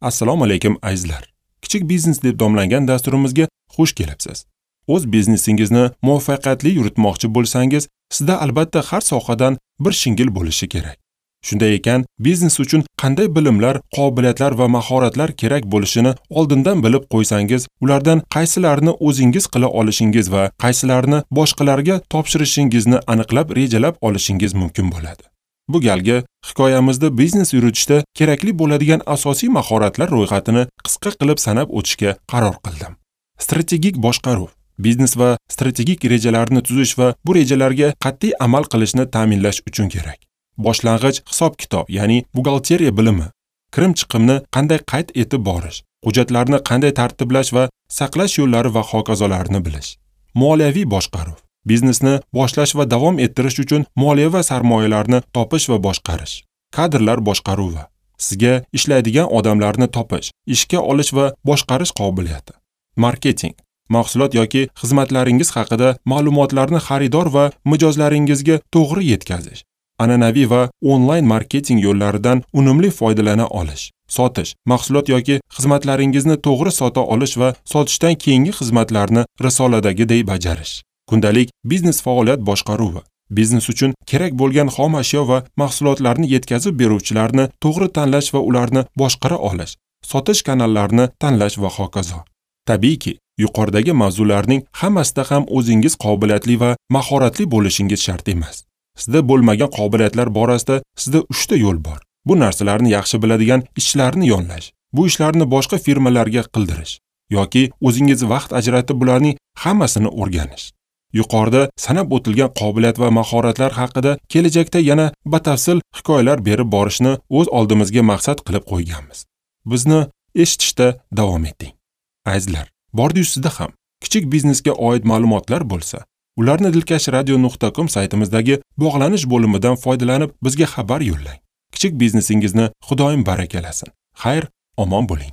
Assalomu alaykum azizlar. Kichik biznes deb nomlangan dasturimizga xush kelibsiz. O'z biznesingizni muvaffaqiyatli yuritmoqchi bo'lsangiz, sizda albatta har sohadan bir shingil bo'lishi kerak. Shunday ekan, biznes uchun qanday bilimlar, qobiliyatlar va mahoratlar kerak bo'lishini oldindan bilib qo'ysangiz, ulardan qaysilarini o'zingiz qila olishingiz va qaysilarini boshqalarga topshirishingizni aniqlab rejalab olishingiz mumkin bo'ladi. Bu galgi hikoyamizda biznes yuritishda kerakli bo'ladigan asosiy mahoratlar ro'yxatini qisqa qilib sanab o'tishga qaror qildim. Strategik boshqaruv, biznes va strategik rejalarni tuzish va bu rejalarga qat'iy amal qilishni ta'minlash uchun kerak. Boshlang'ich hisob-kitob, ya'ni buxgalteriya bilimi, kirim-chiqimni qanday qayd etib borish, hujjatlarni qanday tartiblash va saqlash yo'llari va hokazolarni bilish. Moliyaviy boshqaruv, biznesni boshlash va davom ettirish uchun moliya va sarmoyalarni topish va boshqarish. Kadrlar boshqaruvi, sizga ishlaydigan odamlarni topish, ishga olish va boshqarish qobiliyati. Marketing, mahsulot yoki xizmatlaringiz haqida ma'lumotlarni xaridor va mijozlaringizga to'g'ri yetkazish. An'anaviy va onlayn marketing yo'llaridan unumli foydalana olish. Sotish, mahsulot yoki xizmatlaringizni to'g'ri sota olish va sotishdan keyingi xizmatlarni risoladagiday bajarish. Kundalik biznes faoliyat boshqaruvi, biznes uchun kerak bo'lgan xom ashyo va mahsulotlarni yetkazib beruvchilarni to'g'ri tanlash va ularni boshqara olish, sotish kanallarini tanlash va hokazo. Tabiiyki, yuqoridagi mavzularning hammasida ham o'zingiz qobiliyatli va mahoratli bo'lishingiz shart emas. Sizda bo'lmagan qobiliyatlar borasida sizda 3 ta yo'l bor. Bu narsalarni yaxshi biladigan ishchilarni yollash, bu ishlarni boshqa firmalarga qildirish yoki o'zingiz vaqt ajratib bularning hammasini o'rganish. Yuqorida sanab o'tilgan qobiliyat va mahoratlar haqida kelajakda yana batafsil hikoyalar berib borishni o'z oldimizga maqsad qilib qo'yganmiz. Bizni eshitishda davom eting. Azizlar, bordi-yu sizda ham kichik biznesga oid ma'lumotlar bo'lsa, ularni dilkashradio.com saytimizdagi bog'lanish bo'limidan foydalanib bizga xabar yo'llang. Kichik biznesingizni Xudoyim barakalasin. Xayr, omon bo'ling.